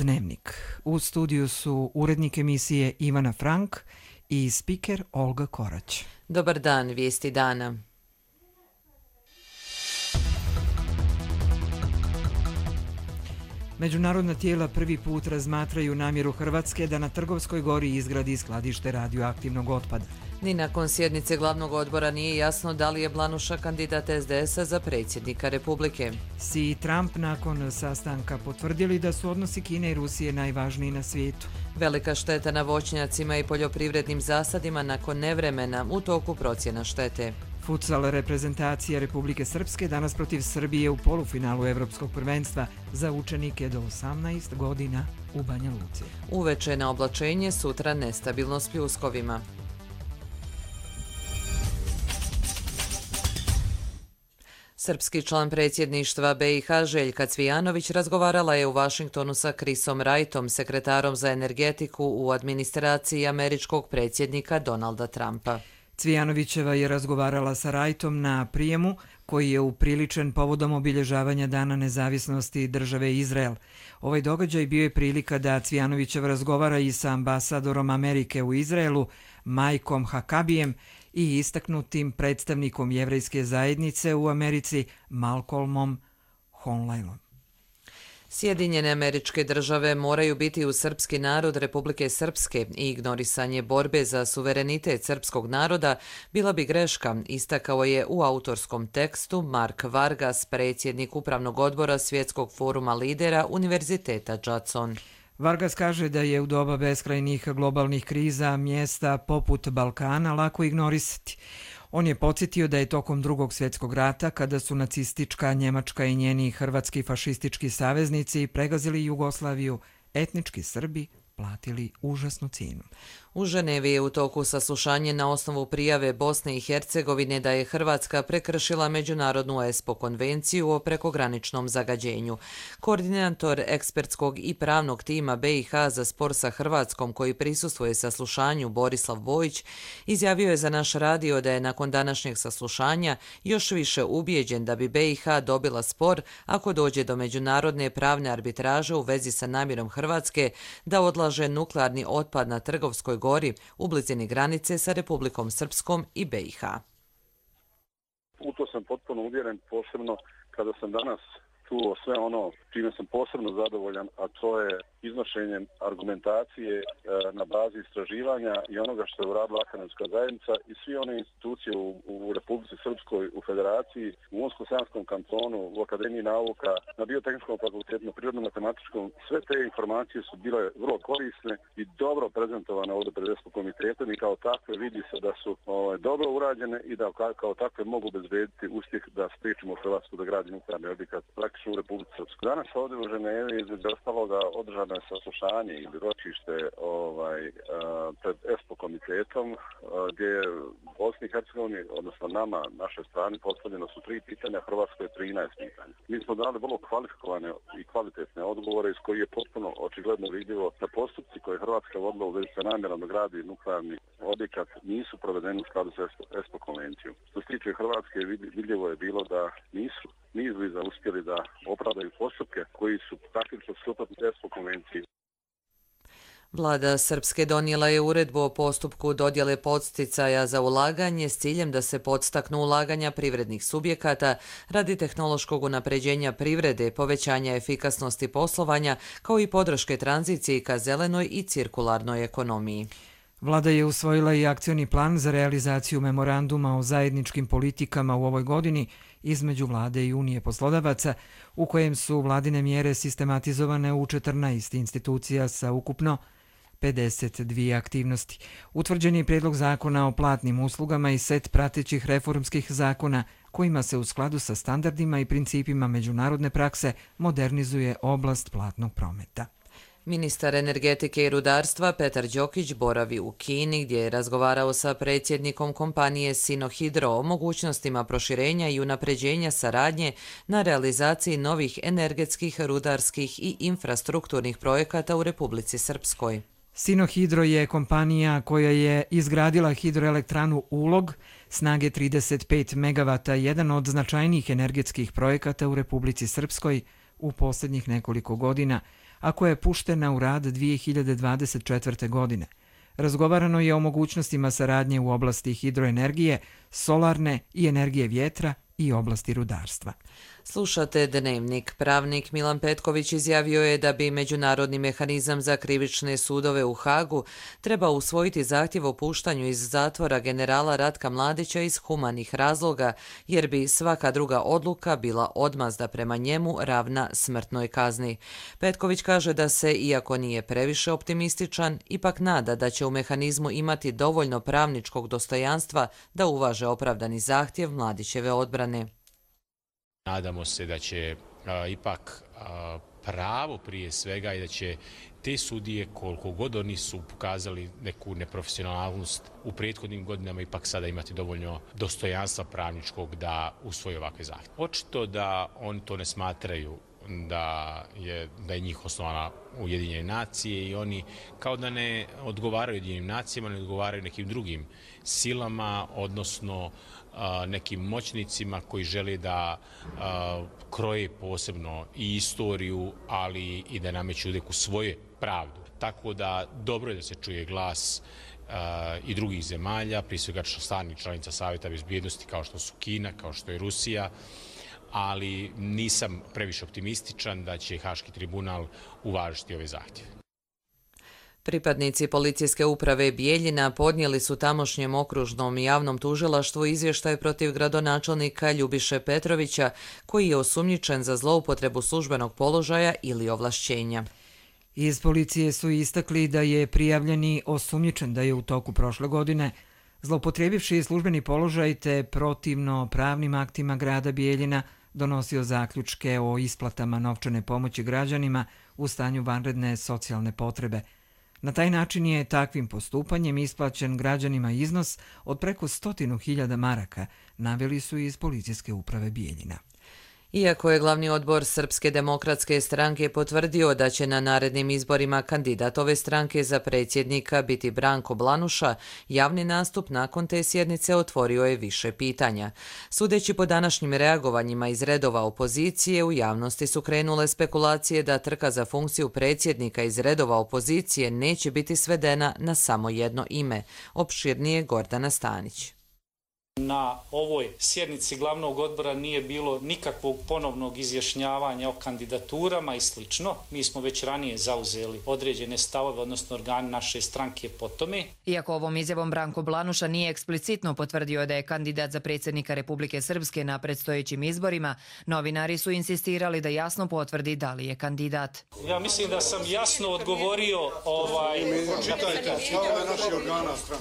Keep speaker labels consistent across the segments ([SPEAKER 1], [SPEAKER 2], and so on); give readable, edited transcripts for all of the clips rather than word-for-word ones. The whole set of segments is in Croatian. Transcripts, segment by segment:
[SPEAKER 1] Dnevnik. U studiju su urednik emisije Ivana Frank i spiker Olga Korać.
[SPEAKER 2] Dobar dan, vijesti dana.
[SPEAKER 1] Međunarodna tijela prvi put razmatraju namjeru Hrvatske da na Trgovskoj gori izgradi skladište radioaktivnog otpada.
[SPEAKER 2] Ni nakon sjednice glavnog odbora nije jasno da li je Blanuša kandidat SDS-a za predsjednika Republike.
[SPEAKER 1] Xi i Trump nakon sastanka potvrdili da su odnosi Kine i Rusije najvažniji na svijetu.
[SPEAKER 2] Velika šteta na voćnjacima i poljoprivrednim zasadima nakon nevremena, u toku procjena štete.
[SPEAKER 1] Futsal reprezentacija Republike Srpske danas protiv Srbije u polufinalu Evropskog prvenstva za učenike do 18 godina u Banja Luci.
[SPEAKER 2] Uveče na oblačenje, sutra nestabilno s pljuskovima. Srpski član predsjedništva BiH Željka Cvijanović razgovarala je u Vašingtonu sa Chrisom Wrightom, sekretarom za energetiku u administraciji američkog predsjednika Donalda Trumpa.
[SPEAKER 1] Cvijanovićeva je razgovarala sa Wrightom na prijemu koji je upriličen povodom obilježavanja Dana nezavisnosti države Izrael. Ovaj događaj bio je prilika da Cvijanovićev razgovara i sa ambasadorom Amerike u Izraelu, Mikeom Hakabijem, i istaknutim predstavnikom jevrejske zajednice u Americi, Malcolmom Honleilom.
[SPEAKER 2] Sjedinjene Američke Države moraju biti uz srpski narod Republike Srpske i ignorisanje borbe za suverenitet srpskog naroda bila bi greška, istakao je u autorskom tekstu Mark Vargas, predsjednik Upravnog odbora Svjetskog foruma lidera Univerziteta Judson.
[SPEAKER 1] Vargas kaže da je u doba beskrajnih globalnih kriza mjesta poput Balkana lako ignorisati. On je podsjetio da je tokom Drugog svjetskog rata, kada su nacistička Njemačka i njeni hrvatski fašistički saveznici pregazili Jugoslaviju, etnički Srbi platili užasnu cijenu.
[SPEAKER 2] U Ženevi je u toku saslušanje na osnovu prijave Bosne i Hercegovine da je Hrvatska prekršila Međunarodnu ESPO konvenciju o prekograničnom zagađenju. Koordinator ekspertskog i pravnog tima BiH za spor sa Hrvatskom, koji prisustvuje saslušanju, Borislav Bojić, izjavio je za naš radio da je nakon današnjeg saslušanja još više ubijeđen da bi BiH dobila spor ako dođe do međunarodne pravne arbitraže u vezi sa namjerom Hrvatske da odlaže nuklearni otpad na Trgovskoj gori u blizini granice sa Republikom Srpskom i BiH.
[SPEAKER 3] U to sam potpuno uvjeren, posebno kada sam danas čuo sve ono čime sam posebno zadovoljan, a to je iznošenjem argumentacije na bazi istraživanja i onoga što je uradila akademska zajednica i svi one institucije u Republici Srpskoj, u Federaciji, u Unsko-Sanskom kantonu, u Akademiji nauka, na Biotehničkom fakultetu, na Prirodno-matematičkom. Sve te informacije su bile vrlo korisne i dobro prezentovane ovdje pred ESPO komitetom i kao takve vidi se da su dobro urađene i da kao takve mogu obezbediti uspjeh da spriječimo Hrvatsku da gradi nuklearni objekat praktično u Republici Srpskoj. Danas ovdje u Ženevi između ostaloga održano je saslušanje ili ročište pred ESPO komitetom gdje je Bosni i Hercegovini, odnosno nama, našoj strani, postavljeno su 3 pitanja, Hrvatskoj je 13 pitanja. Mi smo dali vrlo kvalifikovane i kvalitetne odgovore iz koji je potpuno očigledno vidljivo da postupci koje Hrvatska vodila u vezi sa namjerom da gradi nuklearni objekat nisu provedeni u skladu sa ESPO konvencijom. Što se tiče Hrvatske, vidljivo je bilo da nisu ni izbliza uspjeli da opravdaju postupke koji su praktično suprotni ESPO konvenciji.
[SPEAKER 2] Vlada Srpske donijela je uredbu o postupku dodjele podsticaja za ulaganje s ciljem da se podstaknu ulaganja privrednih subjekata radi tehnološkog unapređenja privrede, povećanja efikasnosti poslovanja, kao i podrške tranziciji ka zelenoj i cirkularnoj ekonomiji.
[SPEAKER 1] Vlada je usvojila i akcioni plan za realizaciju memoranduma o zajedničkim politikama u ovoj godini između Vlade i Unije poslodavaca, u kojem su vladine mjere sistematizovane u 14 institucija sa ukupno 52 aktivnosti. Utvrđen je prijedlog zakona o platnim uslugama i set pratećih reformskih zakona kojima se u skladu sa standardima i principima međunarodne prakse modernizuje oblast platnog prometa.
[SPEAKER 2] Ministar energetike i rudarstva Petar Đokić boravi u Kini gdje je razgovarao sa predsjednikom kompanije Sinohydro o mogućnostima proširenja i unapređenja saradnje na realizaciji novih energetskih, rudarskih i infrastrukturnih projekata u Republici Srpskoj.
[SPEAKER 1] Sinohydro je kompanija koja je izgradila hidroelektranu Ulog snage 35 MW, jedan od značajnijih energetskih projekata u Republici Srpskoj u posljednjih nekoliko godina, a koja je puštena u rad 2024. godine. Razgovarano je o mogućnostima saradnje u oblasti hidroenergije, solarne i energije vjetra i oblasti rudarstva.
[SPEAKER 2] Slušate Dnevnik. Pravnik Milan Petković izjavio je da bi Međunarodni mehanizam za krivične sudove u Hagu trebao usvojiti zahtjev o puštanju iz zatvora generala Ratka Mladića iz humanih razloga, jer bi svaka druga odluka bila odmazda prema njemu ravna smrtnoj kazni. Petković kaže da se, iako nije previše optimističan, ipak nada da će u mehanizmu imati dovoljno pravničkog dostojanstva da uvaže opravdani zahtjev Mladićeve odbrane.
[SPEAKER 4] Nadamo se da će ipak pravo prije svega i da će te sudije, koliko god oni su pokazali neku neprofesionalnost u prethodnim godinama, ipak sada imati dovoljno dostojanstva pravničkog da usvoje ovakve zahtjeve. Očito da oni to ne smatraju da je njih osnovana Ujedinjene nacije i oni kao da ne odgovaraju Ujedinjenim nacijama, ne odgovaraju nekim drugim silama, odnosno nekim moćnicima koji žele da kroje posebno i istoriju, ali i da nameću neku svoju pravdu. Tako da dobro je da se čuje glas i drugih zemalja, prije svega stalnih članica Savjeta bezbjednosti kao što su Kina, kao što je Rusija, ali nisam previše optimističan da će Haški tribunal uvažiti ove zahtjeve.
[SPEAKER 2] Pripadnici policijske uprave Bijeljina podnijeli su tamošnjem okružnom javnom tužilaštvu izvještaj protiv gradonačelnika Ljubiše Petrovića, koji je osumnjičen za zloupotrebu službenog položaja ili ovlašćenja.
[SPEAKER 1] Iz policije su istakli da je prijavljeni osumnjičen da je u toku prošle godine zloupotrebivši službeni položaj te protivno pravnim aktima grada Bijeljina donosio zaključke o isplatama novčane pomoći građanima u stanju vanredne socijalne potrebe. Na taj način je takvim postupanjem isplaćen građanima iznos od preko 100.000 maraka, naveli su iz policijske uprave Bijeljina.
[SPEAKER 2] Iako je glavni odbor Srpske demokratske stranke potvrdio da će na narednim izborima kandidat ove stranke za predsjednika biti Branko Blanuša, javni nastup nakon te sjednice otvorio je više pitanja. Sudeći po današnjim reagovanjima iz redova opozicije, u javnosti su krenule spekulacije da trka za funkciju predsjednika iz redova opozicije neće biti svedena na samo jedno ime. Opširnije Gordana Stanić.
[SPEAKER 5] Na ovoj sjednici glavnog odbora nije bilo nikakvog ponovnog izjašnjavanja o kandidaturama i slično. Mi smo već ranije zauzeli određene stavove, odnosno organi naše stranke po tome.
[SPEAKER 6] Iako ovom izjavom Branko Blanuša nije eksplicitno potvrdio da je kandidat za predsjednika Republike Srpske na predstojećim izborima, novinari su insistirali da jasno potvrdi da li je kandidat.
[SPEAKER 5] Ja mislim da sam jasno odgovorio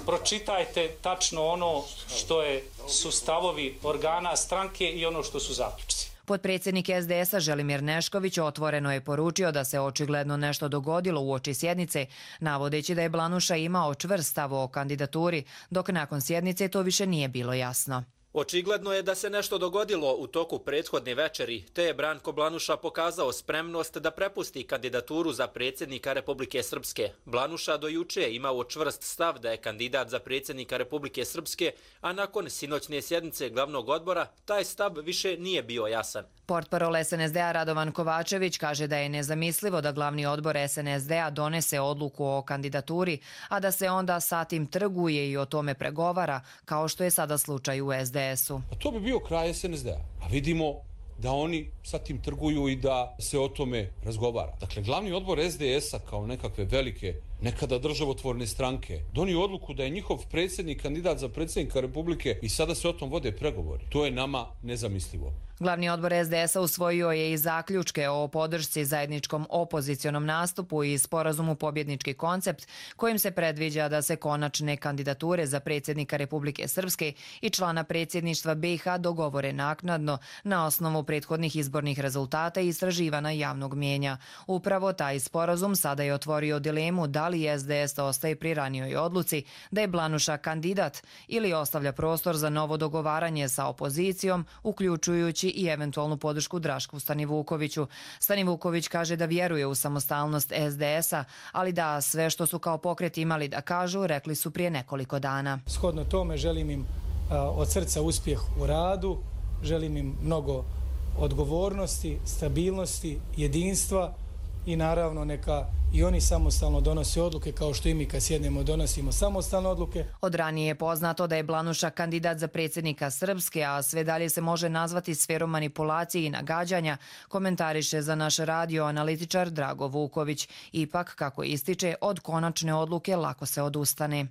[SPEAKER 5] pročitajte tačno ono što su stavovi organa stranke i ono što su zaključci.
[SPEAKER 6] Potpredsjednik SDS-a Želimir Nešković otvoreno je poručio da se očigledno nešto dogodilo uoči sjednice, navodeći da je Blanuša imao čvrst stav o kandidaturi, dok nakon sjednice to više nije bilo jasno.
[SPEAKER 7] Očigledno je da se nešto dogodilo u toku prethodne večeri, te je Branko Blanuša pokazao spremnost da prepusti kandidaturu za predsjednika Republike Srpske. Blanuša do juče je imao čvrst stav da je kandidat za predsjednika Republike Srpske, a nakon sinoćne sjednice glavnog odbora taj stav više nije bio jasan.
[SPEAKER 6] Portparol SNSD-a Radovan Kovačević kaže da je nezamislivo da glavni odbor SNSD-a donese odluku o kandidaturi, a da se onda sa tim trguje i o tome pregovara, kao što je sada slučaj u SDS-u.
[SPEAKER 8] To bi bio kraj SNSD-a. A vidimo da oni sa tim trguju i da se o tome razgovara. Dakle, glavni odbor SDS-a kao nekakve velike, nekada državotvorne stranke, donio odluku da je njihov predsjednik kandidat za predsjednika Republike i sada se o tom vode pregovori. To je nama nezamislivo.
[SPEAKER 6] Glavni odbor SDS-a usvojio je i zaključke o podršci zajedničkom opozicionom nastupu i sporazumu Pobjednički koncept, kojim se predviđa da se konačne kandidature za predsjednika Republike Srpske i člana predsjedništva BiH dogovore naknadno na osnovu prethodnih izbornih rezultata i istraživana javnog mijenja. Upravo taj sporazum sada je otvorio dilemu da li SDS ostaje pri ranijoj odluci da je Blanuša kandidat ili ostavlja prostor za novo dogovaranje sa opozicijom, uključujući i eventualnu podršku Drašku Stanivukoviću. Stanivuković kaže da vjeruje u samostalnost SDS-a, ali da sve što su kao pokret imali da kažu, rekli su prije nekoliko dana.
[SPEAKER 9] Shodno tome želim im od srca uspjeh u radu, želim im mnogo odgovornosti, stabilnosti, jedinstva i naravno neka i oni samostalno donose odluke kao što i mi kad sjednemo donosimo samostalne odluke.
[SPEAKER 6] Od ranije je poznato da je Blanuša kandidat za predsjednika Srpske, a sve dalje se može nazvati sferom manipulacije i nagađanja, komentariše za naš radio analitičar Drago Vuković. Ipak, kako ističe, od konačne odluke lako se odustane.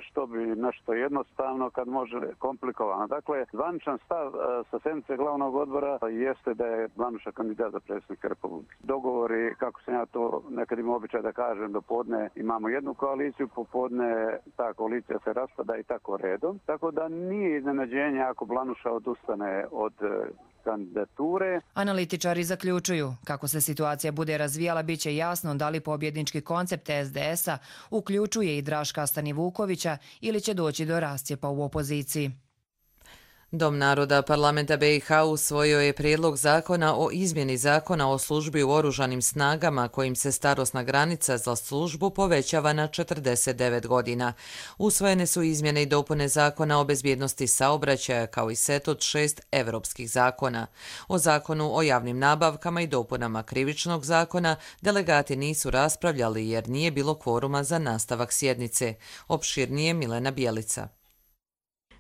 [SPEAKER 10] Što bi nešto jednostavno kad može komplikovano. Dakle, zvaničan stav sa sjednice glavnog odbora jeste da je Blanuša kandidat za predsjednika Republike. Dogovori, kako sam ja to nekad imao običaj da kažem, do podne imamo jednu koaliciju, popodne ta koalicija se raspada i tako redom. Tako da nije iznenađenje ako Blanuša odustane od kandidature.
[SPEAKER 6] Analitičari zaključuju, kako se situacija bude razvijala, bit će jasno da li pobjednički koncept SDS-a uključuje i Draška Stanivukovića ili će doći do rascjepa u opoziciji.
[SPEAKER 2] Dom naroda parlamenta BiH usvojio je prijedlog zakona o izmjeni zakona o službi u oružanim snagama kojim se starosna granica za službu povećava na 49 godina. Usvojene su izmjene i dopune zakona o bezbjednosti saobraćaja kao i set od 6 evropskih zakona. O zakonu o javnim nabavkama i dopunama krivičnog zakona delegati nisu raspravljali jer nije bilo kvoruma za nastavak sjednice. Opširnije Milena Bjelica.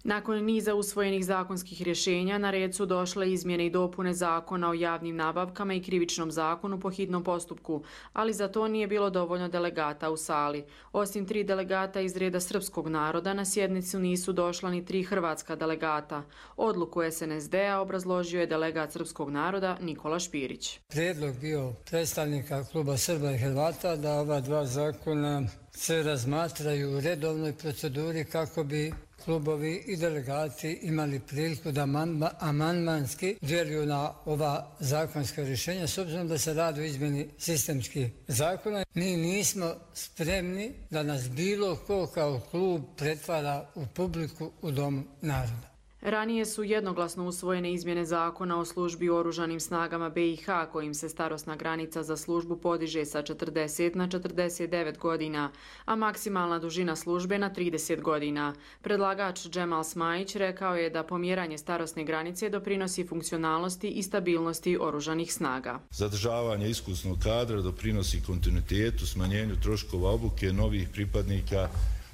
[SPEAKER 11] Nakon niza usvojenih zakonskih rješenja, na red su došle izmjene i dopune zakona o javnim nabavkama i krivičnom zakonu po hitnom postupku, ali za to nije bilo dovoljno delegata u sali. Osim 3 delegata iz reda srpskog naroda, na sjednicu nisu došla ni 3 hrvatska delegata. Odluku SNSD-a obrazložio je delegat srpskog naroda Nikola Špirić.
[SPEAKER 12] Prijedlog bio predstavnika kluba Srba i Hrvata da ova 2 zakona se razmatraju u redovnoj proceduri kako bi klubovi i delegati imali priliku da amandmanski djeluju na ova zakonska rješenja, s obzirom da se radi o izmjeni sistemskih zakona. Mi nismo spremni da nas bilo ko kao klub pretvara u publiku u Domu naroda.
[SPEAKER 11] Ranije su jednoglasno usvojene izmjene zakona o službi u oružanim snagama BiH kojim se starosna granica za službu podiže sa 40 na 49 godina, a maksimalna dužina službe na 30 godina. Predlagač Džemal Smajić rekao je da pomjeranje starosne granice doprinosi funkcionalnosti i stabilnosti oružanih snaga.
[SPEAKER 13] Zadržavanje iskusnog kadra doprinosi kontinuitetu, smanjenju troškova obuke novih pripadnika.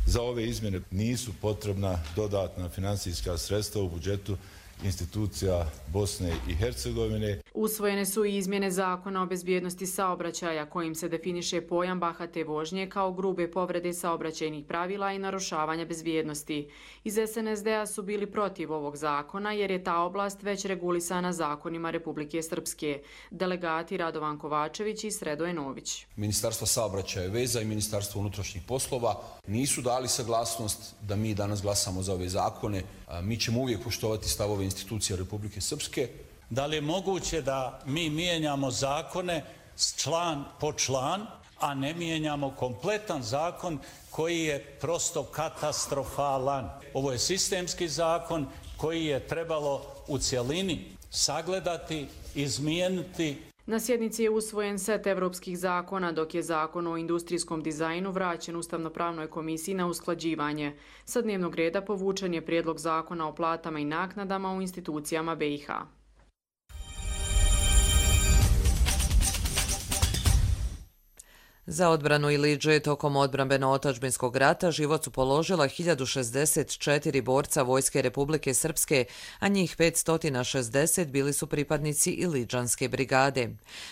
[SPEAKER 13] Za ove izmjene nisu potrebna dodatna financijska sredstva u budžetu institucija Bosne i Hercegovine.
[SPEAKER 11] Usvojene su i izmjene zakona o bezbjednosti saobraćaja kojim se definiše pojam bahate vožnje kao grube povrede saobraćajnih pravila i narušavanja bezbjednosti. Iz SNSD-a su bili protiv ovog zakona jer je ta oblast već regulisana zakonima Republike Srpske. Delegati Radovan Kovačević i Sredoje Nović.
[SPEAKER 14] Ministarstvo saobraćaja i veza i Ministarstvo unutrašnjih poslova nisu dali saglasnost da mi danas glasamo za ove zakone. Mi ćemo uvijek poštovati stavove institucija Republike Srpske.
[SPEAKER 15] Da li je moguće da mi mijenjamo zakone član po član, a ne mijenjamo kompletan zakon koji je prosto katastrofalan? Ovo je sistemski zakon koji je trebalo u cjelini sagledati, izmijeniti.
[SPEAKER 11] Na sjednici je usvojen set evropskih zakona, dok je zakon o industrijskom dizajnu vraćen Ustavno-pravnoj komisiji na usklađivanje. Sa dnevnog reda povučen je prijedlog zakona o platama i naknadama u institucijama BiH.
[SPEAKER 2] Za odbranu Iliđe tokom odbrambeno-otadžbinskog rata život su položila 1064 borca Vojske Republike Srpske, a njih 560 bili su pripadnici Iliđanske brigade.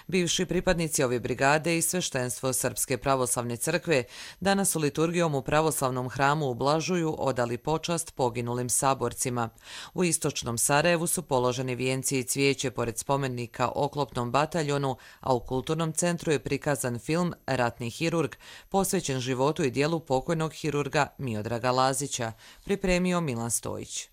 [SPEAKER 2] Bivši pripadnici ove brigade i sveštenstvo Srpske pravoslavne crkve danas su liturgijom u pravoslavnom hramu u Blažuju odali počast poginulim saborcima. U istočnom Sarajevu su položeni vijenci i cvijeće pored spomenika oklopnom bataljonu, a u kulturnom centru je prikazan film Ratni hirurg, posvećen životu i dijelu pokojnog hirurga Miodraga Lazića, pripremio Milan Stojić.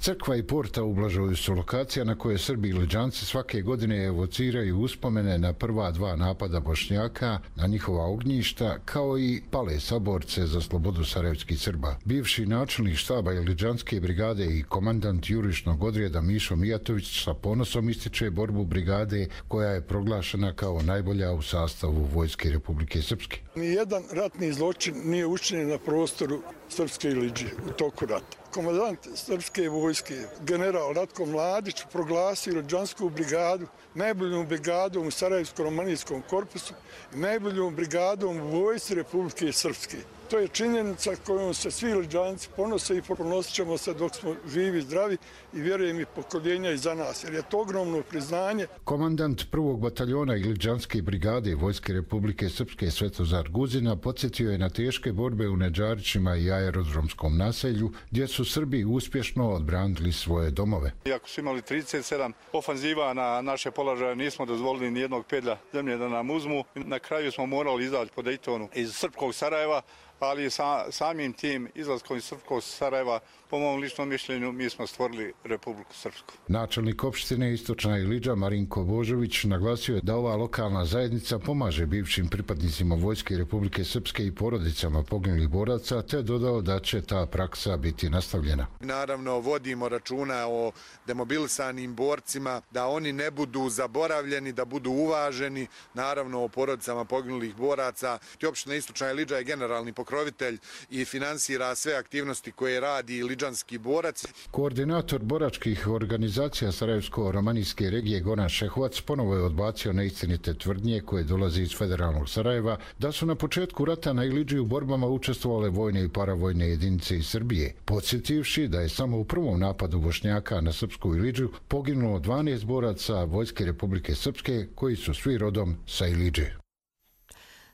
[SPEAKER 16] Crkva i porta u Blažuju su lokacija na koje Srbi i Iliđanci svake godine evociraju uspomene na prva 2 napada Bošnjaka na njihova ognjišta, kao i pale saborce za slobodu sarajevskih Srba. Bivši načelnik štaba Iliđanske brigade i komandant jurišnog odreda Mišo Mijatović sa ponosom ističe borbu brigade koja je proglašena kao najbolja u sastavu Vojske Republike Srpske.
[SPEAKER 17] Nijedan ratni zločin nije učinjen na prostoru Srpske Iliđe u toku rata. komandant srpske vojske, general Ratko Mladić, proglasio Lidžansku brigadu najboljom brigadom u Sarajevsko-romanijskom korpusu i najboljom brigadom u vojsci Republike Srpske. To je činjenica kojom se svi Lidžanci ponose i ponosit ćemo se dok smo živi i zdravi i vjerujem i pokoljenja iza nas, jer je to ogromno priznanje.
[SPEAKER 16] Komandant 1. bataljona Lidžanske brigade Vojske Republike Srpske Svetozar Guzina podsjetio je na teške borbe u Nedžarićima i aerodromskom naselju, gdje su Srbi uspješno odbranili svoje domove.
[SPEAKER 18] Iako su imali 37 ofanziva na naše položaje, nismo dozvolili ni jednog pedlja zemlje da nam uzmu. Na kraju smo morali izaći po Dejtonu iz srpskog Sarajeva, ali samim tim izlaskom iz srpskog Sarajeva, po mom ličnom mišljenju, mi smo stvorili Republiku Srpsku.
[SPEAKER 16] Načelnik opštine Istočna Ilidža Marinko Božović naglasio je da ova lokalna zajednica pomaže bivšim pripadnicima Vojske Republike Srpske i porodicama poginulih boraca, te dodao da će ta praksa biti nastavljena.
[SPEAKER 19] Naravno, vodimo računa o demobilisanim borcima, da oni ne budu zaboravljeni, da budu uvaženi, naravno o porodicama poginulih boraca. Opština Istočna Ilidža je generalni pokrovitelj i finansira sve aktivnosti koje radi lidžanski borac.
[SPEAKER 16] Koordinator boračkih organizacija Sarajevsko-romanijske regije Goran Šehovac ponovo je odbacio neistinite tvrdnje koje dolaze iz federalnog Sarajeva da su na početku rata na Ilidži u borbama učestvovale vojne i paravojne jedinice iz Srbije, podsjetivši da je samo u prvom napadu Bošnjaka na srpsku Ilidžu poginulo 12 boraca Vojske Republike Srpske koji su svi rodom sa Ilidže.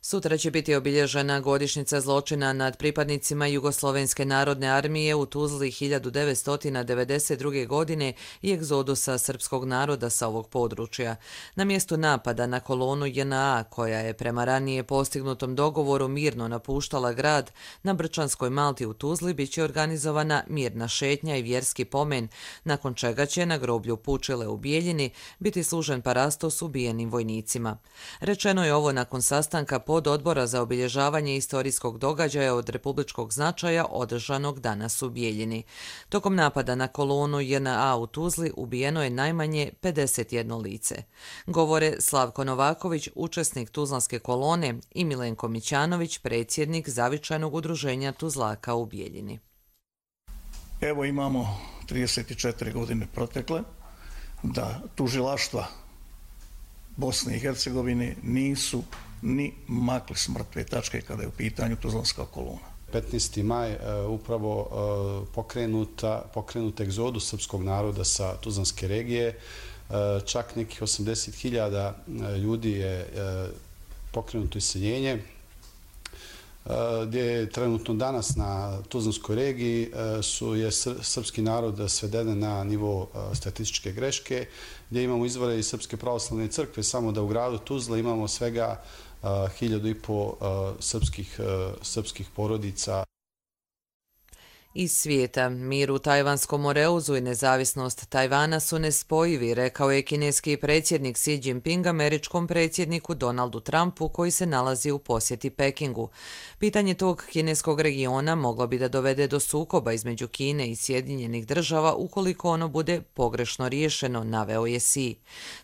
[SPEAKER 2] Sutra će biti obilježena godišnjica zločina nad pripadnicima Jugoslovenske narodne armije u Tuzli 1992. godine i egzodusa srpskog naroda sa ovog područja. Na mjestu napada na kolonu JNA, koja je prema ranije postignutom dogovoru mirno napuštala grad, na Brčanskoj Malti u Tuzli biće organizovana mirna šetnja i vjerski pomen, nakon čega će na groblju Pučile u Bijeljini biti služen parastos ubijenim vojnicima. Rečeno je ovo nakon sastanka pod odbora za obilježavanje istorijskog događaja od republičkog značaja održanog danas u Bijeljini. Tokom napada na kolonu JNA u Tuzli ubijeno je najmanje 51 lice. Govore Slavko Novaković, učesnik Tuzlanske kolone, i Milenko Mićanović, predsjednik Zavičajnog udruženja Tuzlaka u Bijeljini.
[SPEAKER 20] Evo imamo 34 godine protekle da tužilaštva Bosne i Hercegovine nisu ni makli s mrtve tačke kada je u pitanju Tuzlanska kolona.
[SPEAKER 21] 15. maj upravo pokrenut egzodus srpskog naroda sa Tuzlanske regije. Čak nekih 80.000 ljudi je pokrenuto iseljenje, gdje je trenutno danas na Tuzlanskoj regiji je srpski narod sveden na nivo statističke greške, gdje imamo izvore iz Srpske pravoslavne crkve, samo da u gradu Tuzla imamo svega 1.500 srpskih porodica.
[SPEAKER 2] Iz svijeta, mir u Tajvanskom Moreuzu i nezavisnost Tajvana su nespojivi, rekao je kineski predsjednik Xi Jinping američkom predsjedniku Donaldu Trumpu koji se nalazi u posjeti Pekingu. Pitanje tog kineskog regiona moglo bi da dovede do sukoba između Kine i Sjedinjenih država ukoliko ono bude pogrešno riješeno, naveo je Xi.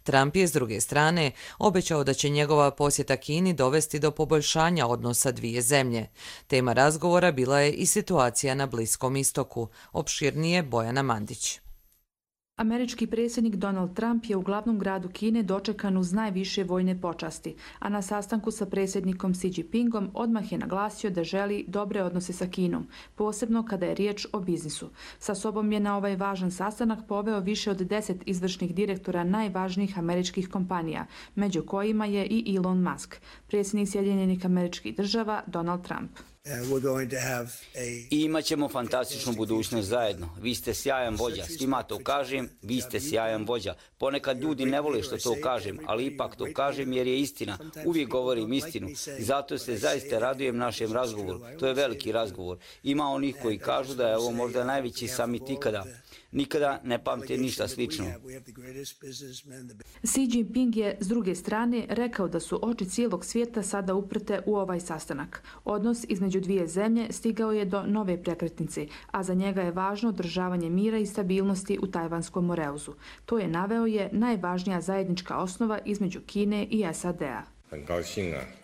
[SPEAKER 2] Trump je s druge strane obećao da će njegova posjeta Kini dovesti do poboljšanja odnosa dvije zemlje. Tema razgovora bila je i situacija na Bliskom istoku. Opširnije Bojana Mandić.
[SPEAKER 22] Američki predsjednik Donald Trump je u glavnom gradu Kine dočekan uz najviše vojne počasti, a na sastanku sa predsjednikom Xi Jinpingom odmah je naglasio da želi dobre odnose sa Kinom, posebno kada je riječ o biznisu. Sa sobom je na ovaj važan sastanak poveo više od 10 izvršnih direktora najvažnijih američkih kompanija, među kojima je i Elon Musk, predsjednik Sjedinjenih Američkih Država Donald Trump.
[SPEAKER 23] I imat ćemo fantastičnu budućnost zajedno. Vi ste sjajan vođa, svima to kažem, vi ste sjajan vođa. Ponekad ljudi ne vole što to kažem, ali ipak to kažem jer je istina. Uvijek govorim istinu i zato se zaista radujem našem razgovoru. To je veliki razgovor. Ima onih koji kažu da je ovo možda najveći samit ikada. Nikada ne pamte ništa slično.
[SPEAKER 22] Xi Jinping je, s druge strane, rekao da su oči cijelog svijeta sada uprte u ovaj sastanak. Odnos između dvije zemlje stigao je do nove prekretnice, a za njega je važno održavanje mira i stabilnosti u Tajvanskom Moreuzu. To je najvažnija zajednička osnova između Kine i SAD-a.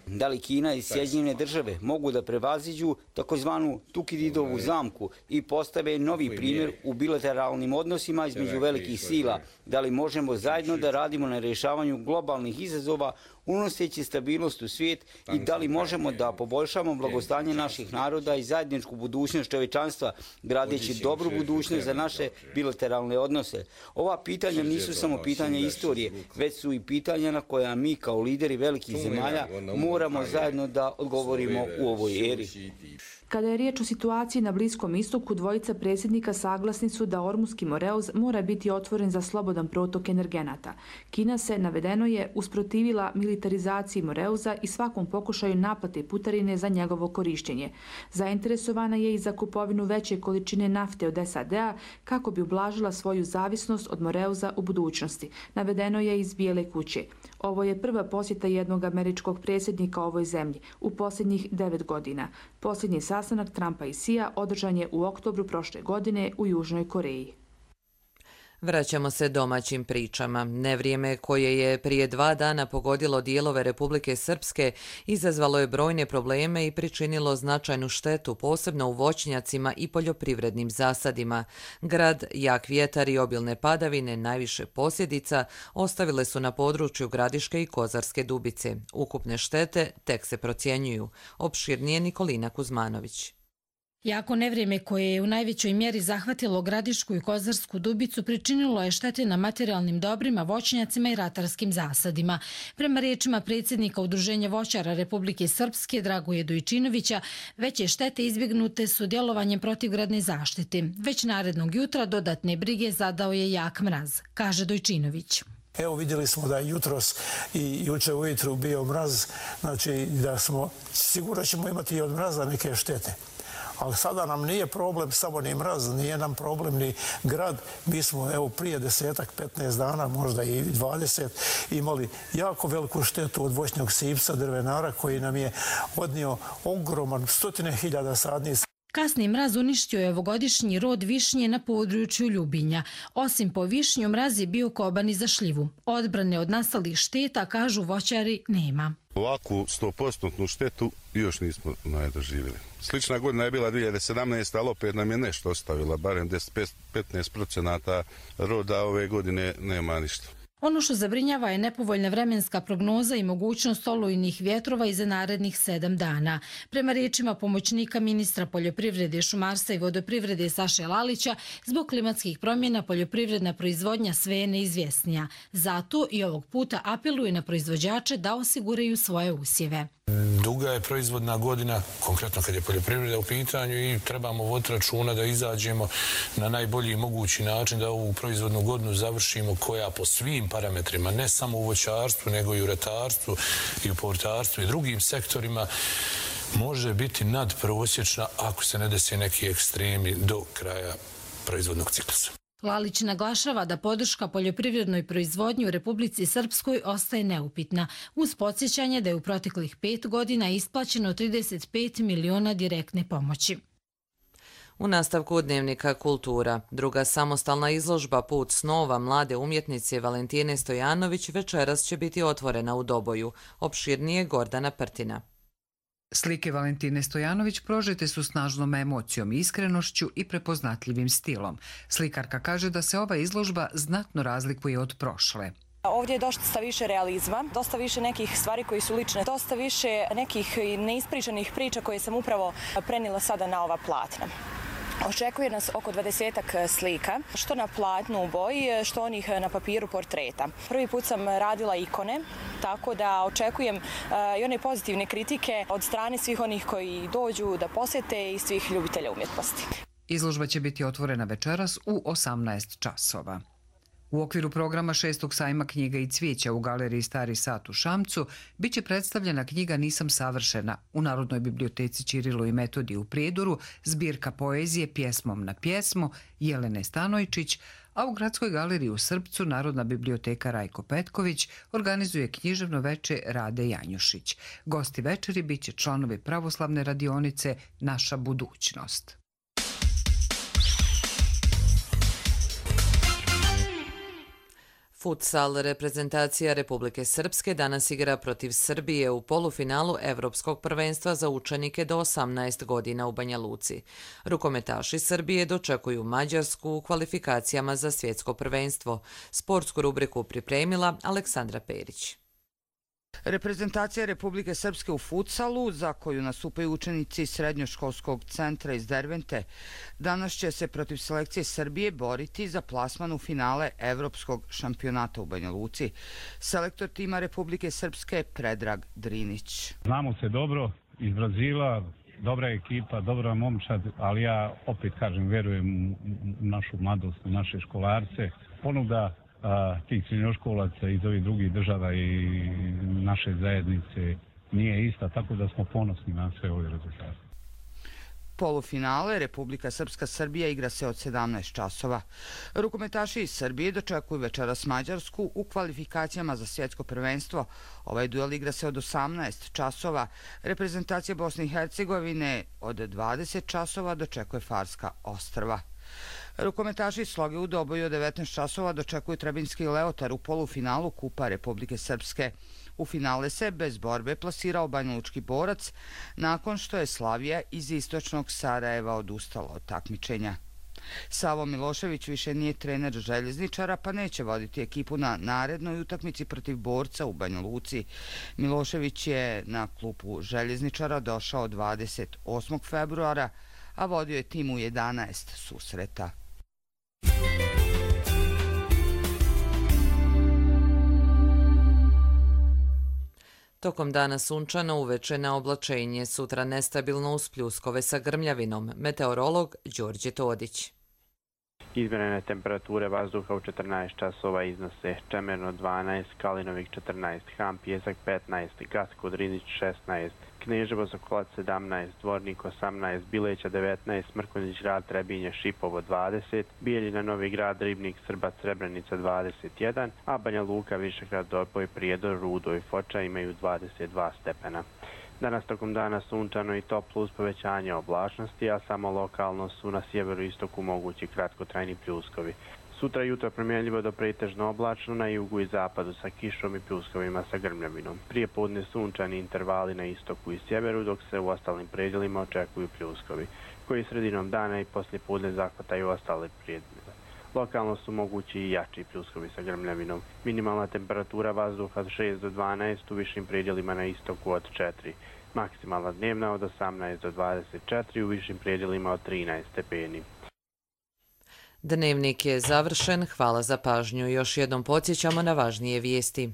[SPEAKER 23] Da li Kina i Sjedinjene države mogu da prevaziđu takozvanu Tukididovu zamku i postave novi primjer u bilateralnim odnosima između velikih sila? Da li možemo zajedno da radimo na rješavanju globalnih izazova unoseći stabilnost u svijet i da li možemo da poboljšamo blagostanje naših naroda i zajedničku budućnost čovječanstva, gradeći dobru budućnost za naše bilateralne odnose? Ova pitanja nisu samo pitanja istorije, već su i pitanja na koja mi kao lideri velikih zemalja moramo zajedno da odgovorimo u ovoj eri.
[SPEAKER 22] Kada je riječ o situaciji na Bliskom istoku, dvojica predsjednika saglasni su da Ormuski moreuz mora biti otvoren za slobodan protok energenata. Kina se, navedeno je, usprotivila militarizaciji moreuza i svakom pokušaju naplate putarine za njegovo korištenje. Zainteresovana je i za kupovinu veće količine nafte od SAD-a kako bi ublažila svoju zavisnost od moreuza u budućnosti. Navedeno je iz Bijele kuće. Ovo je prva posjeta jednog američkog predsjednika ovoj zemlji u posljednjih 9 godina. Posljednji sastanak Trumpa i Xija održan je u oktobru prošle godine u Južnoj Koreji.
[SPEAKER 2] Vraćamo se domaćim pričama. Nevrijeme koje je prije 2 dana pogodilo dijelove Republike Srpske izazvalo je brojne probleme i pričinilo značajnu štetu, posebno u voćnjacima i poljoprivrednim zasadima. Grad, jak vjetar i obilne padavine, najviše posljedica, ostavile su na području Gradiške i Kozarske Dubice. Ukupne štete tek se procjenjuju. Opširnije Nikolina Kuzmanović.
[SPEAKER 1] Jako nevrijeme koje je u najvećoj mjeri zahvatilo Gradišku i Kozarsku Dubicu pričinilo je štete na materijalnim dobrima, voćnjacima i ratarskim zasadima. Prema riječima predsjednika Udruženja voćara Republike Srpske Dragoje Dojčinovića, veće štete izbjegnute su djelovanjem protivgradne zaštite. Već narednog jutra dodatne brige zadao je jak mraz, kaže Dojčinović.
[SPEAKER 3] Evo vidjeli smo da je jutros i juče ujutru bio mraz, znači da smo sigurno ćemo imati i od mraza neke štete. Ali sada nam nije problem samo ni mraz, nije nam problem ni grad. Mi smo evo prije 10-15 dana, možda i 20, imali jako veliku štetu od voćnog sipca drvenara koji nam je odnio ogroman 100.000 sadnica.
[SPEAKER 1] Kasni mraz uništio je ovogodišnji rod višnje na području Ljubinja. Osim po višnju, mraz je bio koban i za šljivu. Odbrane od nastalih šteta, kažu voćari, nema.
[SPEAKER 4] Ovakvu 100% štetu još nismo doživjeli. Slična godina je bila 2017, ali opet nam je nešto ostavila, barem 10-15% roda ove godine nema ništa.
[SPEAKER 1] Ono što zabrinjava je nepovoljna vremenska prognoza i mogućnost olujnih vjetrova i za narednih 7 dana. Prema riječima pomoćnika ministra poljoprivrede, šumarstva i vodoprivrede Saše Lalića, zbog klimatskih promjena poljoprivredna proizvodnja sve je neizvjesnija. Zato i ovog puta apeluje na proizvođače da osiguraju svoje usjeve.
[SPEAKER 24] Duga je proizvodna godina, konkretno kad je poljoprivreda u pitanju i trebamo voditi računa da izađemo na najbolji mogući način da ovu proizvodnu godinu završimo koja po svim parametrima, ne samo u voćarstvu, nego i u ratarstvu i u povrtarstvu i drugim sektorima, može biti nadprosječna ako se ne desi neki ekstremi do kraja proizvodnog ciklusa.
[SPEAKER 1] Lalić naglašava da podrška poljoprivrednoj proizvodnji u Republici Srpskoj ostaje neupitna, uz podsjećanje da je u proteklih 5 godina isplaćeno 35 miliona direktne pomoći.
[SPEAKER 2] U nastavku Dnevnika Kultura, druga samostalna izložba Put snova mlade umjetnice Valentine Stojanović večeras će biti otvorena u Doboju. Opširnije Gordana Prtina.
[SPEAKER 25] Slike Valentine Stojanović prožete su snažnom emocijom, iskrenošću i prepoznatljivim stilom. Slikarka kaže da se ova izložba znatno razlikuje od prošle.
[SPEAKER 26] Ovdje je dosta više realizma, dosta više nekih stvari koji su lične, dosta više nekih neispričanih priča koje sam upravo prenijela sada na ova platna. Očekuje nas oko 20-ak slika, što na platnu u boji, što onih na papiru portreta. Prvi put sam radila ikone, tako da očekujem i one pozitivne kritike od strane svih onih koji dođu da posjete i svih ljubitelja umjetnosti.
[SPEAKER 25] Izložba će biti otvorena večeras u 18 časova. U okviru programa 6. sajma knjiga i cvijeća u galeriji Stari sat u Šamcu biće predstavljena knjiga Nisam savršena u Narodnoj biblioteci Ćirilo i Metodije u Prijedoru, zbirka poezije Pjesmom na pjesmu Jelene Stanojčić, a u Gradskoj galeriji u Srpcu Narodna biblioteka Rajko Petković organizuje književno veče Rade Janjušić. Gosti večeri biće članovi pravoslavne radionice Naša budućnost.
[SPEAKER 2] Futsal reprezentacija Republike Srpske danas igra protiv Srbije u polufinalu Evropskog prvenstva za učenike do 18 godina u Banja Luci. Rukometaši Srbije dočekuju Mađarsku u kvalifikacijama za svjetsko prvenstvo. Sportsku rubriku pripremila Aleksandra Perić.
[SPEAKER 5] Reprezentacija Republike Srpske u futsalu, za koju nastupaju učenici Srednjoškolskog centra iz Dervente, danas će se protiv selekcije Srbije boriti za plasman u finale Evropskog šampionata u Banja Luci. Selektor tima Republike Srpske Predrag Drinić.
[SPEAKER 6] Znamo se dobro iz Brazila, dobra ekipa, dobra momčad, ali ja opet kažem, verujem u našu mladost, u naše školarce. Ponuda tih srednjoškolaca iz ovih drugih država i naše zajednice nije ista, tako da smo ponosni na sve ove rezultate.
[SPEAKER 5] Polufinale Republika Srpska-Srbija igra se od 17 časova. Rukometaši iz Srbije dočekuju večeras Mađarsku u kvalifikacijama za svjetsko prvenstvo. Ovaj duel igra se od 18 časova. Reprezentacija Bosne i Hercegovine od 20 časova dočekuje Farska ostrva. Rukometaši iz Sloge u Doboju od 19 časova dočekuju Trebinski Leotar u polufinalu Kupa Republike Srpske. U finale se bez borbe plasirao banjalučki Borac nakon što je Slavija iz istočnog Sarajeva odustala od takmičenja. Savo Milošević više nije trener Željezničara, pa neće voditi ekipu na narednoj utakmici protiv Borca u Banja Luci. Milošević je na klupu Željezničara došao 28. februara, a vodio je tim u 11 susreta.
[SPEAKER 2] Tokom dana sunčano, uveče na oblačenje, sutra nestabilno uz pljuskove sa grmljavinom. Meteorolog Đorđe Todić.
[SPEAKER 7] Izmjerene temperature vazduha u 14 časova iznose Čemerno 12, Kalinovik 14, Ham Pjesak 15, Gacko Drinić 16, Kneževo Sokolac 17, Dvornik 18, Bileća 19, Mrkonjić Rad Trebinje Šipovo 20, Bijeljina Novi Grad Ribnik Srbac Srebrenica 21, a Banja Luka Višegrad Doboj Prijedor Rudo i Foča imaju 22 stepena. Danas tokom dana sunčano i toplo uz povećanje oblačnosti, a samo lokalno su na sjeveru i istoku mogući kratkotrajni pljuskovi. Sutra jutro promjenljivo do pretežno oblačno na jugu i zapadu sa kišom i pljuskovima sa grmljavinom. Prije podne sunčani intervali na istoku i sjeveru, dok se u ostalim predjelima očekuju pljuskovi, koji sredinom dana i poslije podne zahvataju ostale predjele. Lokalno su mogući i jači pljuskovi sa grmljavinom. Minimalna temperatura vazduha od 6 do 12, u višim predjelima na istoku od 4. Maksimalna dnevna od 18 do 24, u višim predjelima od 13 stepeni.
[SPEAKER 2] Dnevnik je završen. Hvala za pažnju. Još jednom podsjećamo na važnije vijesti.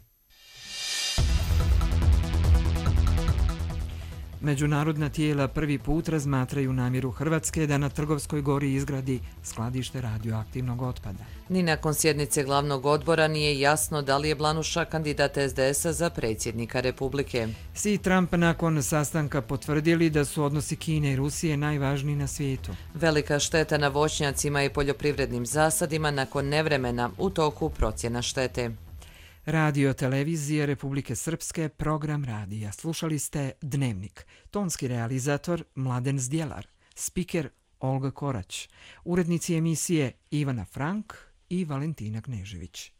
[SPEAKER 8] Međunarodna tijela prvi put razmatraju namjeru Hrvatske da na Trgovskoj gori izgradi skladište radioaktivnog otpada.
[SPEAKER 2] Ni nakon sjednice glavnog odbora nije jasno da li je Blanuša kandidat SDS-a za predsjednika Republike.
[SPEAKER 8] Xi i Trump nakon sastanka potvrdili da su odnosi Kine i Rusije najvažniji na svijetu.
[SPEAKER 2] Velika šteta na voćnjacima i poljoprivrednim zasadima nakon nevremena, u toku procjena štete.
[SPEAKER 8] Radio Televizije Republike Srpske, program radija. Slušali ste Dnevnik. Tonski realizator Mladen Zdjelar. Spiker Olga Korać. Urednici emisije Ivana Frank i Valentina Knežević.